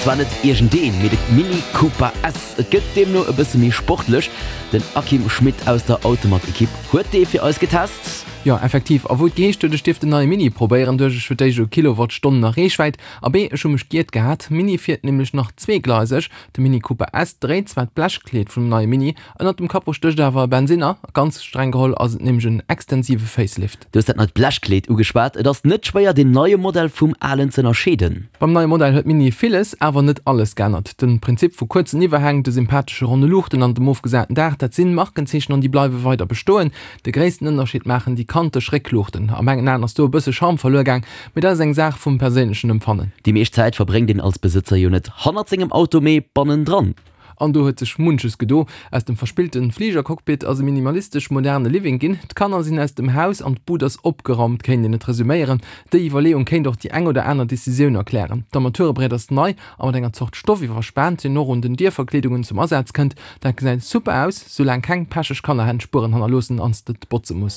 zwar net iergendeen, mee de Mini Cooper S. Et gëtt deemno e bësse méi sportlech. Den Akim Schmit aus der Automag-Ekipp huet dee fir eis getest. Jo, effektiv. A wou et geheescht huet, ech dierft den neie Mini probéieren, duecht ech fir d'éischt u Kilowattstonnen a Reechwäit. A B, ech hu mech giert gehat. Mini fiert nämlech nach zweegleiseg. De Mini Cooper S dréit zwar d'Blechkleed vum neie Mini, ënnert dem Capot stécht awer e Bensinner. Ganz streng geholl ass et nämlech en extensive Facelift. Du hues dat neit Blechkleed ugeschwat. Et ass net schwéier deen neie Modell vum alen z'ënnerscheeden. Beim neie Modell huet Mini villes, awer net alles geännert. De Prinzip vu kuerzen Iwwerhäng, de sympathesche ronne Luuchten an dem ofgesaten Daach, dat sinn Markenzeechen an déi bleiwe weider bestoen. De gréissten Ënnerscheed maachen déi kanteg Réckluuchten. A mengen Aen ass do e bësse Charme verluer gaang, mee dat ass eng Saach vum perséinlechen Empfannen. Déi meescht Zäit verbréngt een als Besëtzer jo net hannert sengem Auto, mee bannendran. An do huet sech munches gedo. Aus dem verspillten Fligercockpit ass e minimalistesch moderne Living ginn. D'Kanner sinn aus dem Haus an d'Bud ass opgeraumt, kéint een et resuméieren. Déi Iwwerleeung kéint och déi eng oder aner Decisioun erklären. D'Armaturebriet ass nei a mat enger Zort Stoff iwwerspaant, deen och un den Dierverkleedungen zum Asaz kënnt. Dat gesäit super aus, soulaang keng pecheg Kannerhänn Spueren hannerloossen an s de et botze muss.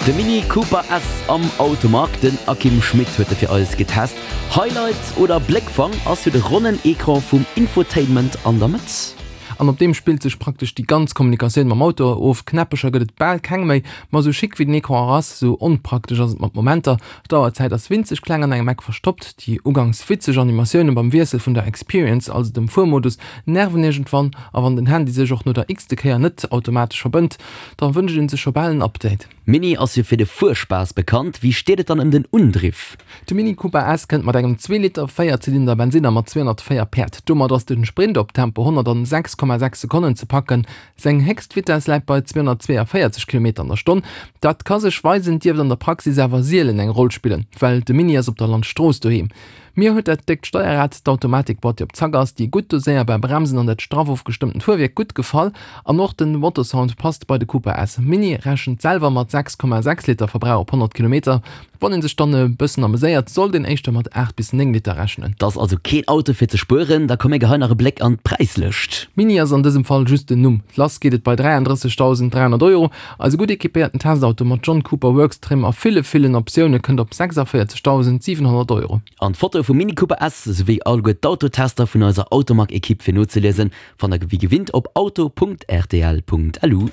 De Mini Cooper S am Automag, den Akim Schmit huet e fir eis getest. Highlight oder Bléckfang ass jo de ronnen Ecran vum Infotainment an der Mëtt. An op deem spillt sech praktesch déi ganz Kommunikatioun mam Auto of. Knäppecher gëtt et bal keng méi, ma sou chic wéi den Ecran och ass, sou onpraktesch ass et mat Momenter. D'Auerzäit ass winzeg kleng an engem Eck verstoppt. Déi ugangs witzeg Animatioune beim Wiessel vun der Experience, also dem Fuermodus, nerven iergendwann. A wann den Handy sech och no der x-te Kéier net automatesch verbënnt, da wënscht een sech scho bal en Update. Mini ass jo fir de Fuerspaass bekannt, wéi steet et dann ëm den Undriff? De Mini Cooper S kënnt mat engem 2 Liter Véierzylinder Bensinner mat 204 Päerd. Domat ass de Sprint op Tempo 100 an 6,6 Sekonnen ze packen. Seng héchst Vitess läit bei 242 Kilometer an der Stonn. Dat ka sech weisen, dierft an der Praxis awer sielen eng Roll spillen, well de Mini ass op der Landstrooss doheem. Mir huet dat déckt Steierrad, d'Automatikboîte déi op Zack ass, déi gutt doséierbar Bremsen an dat straff ofgestëmmtent Fuerwierk gutt gefall. An och den Motorsound passt bei de Cooper S. Mini rechent selwer mat 6,6 Liter Verbrauch op 100 Kilometer. Wann een sech dann e bëssen ameséiert, sollt een éischter mat 8 bis 9 Liter rechnen. 't ass also keen Auto fir ze spueren. Da komm mir geheien nach e Bléck an d'Präislëscht. Mini ass an dësem Fall just den Numm. Lass geet et bei 33.300 Euro. Eise gutt equipéierten Testauto mat John Cooper Works Trim a ville villen Optioune kënnt op 46.700 Euro. An d'Fotoe vum Mini Cooper S, souwéi alleguer d'Autotester vun eiser Automag-Ekipp fir nozeliesen, fannt der wéi gewinnt op auto.rtl.lu.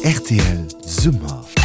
Rtl Summer.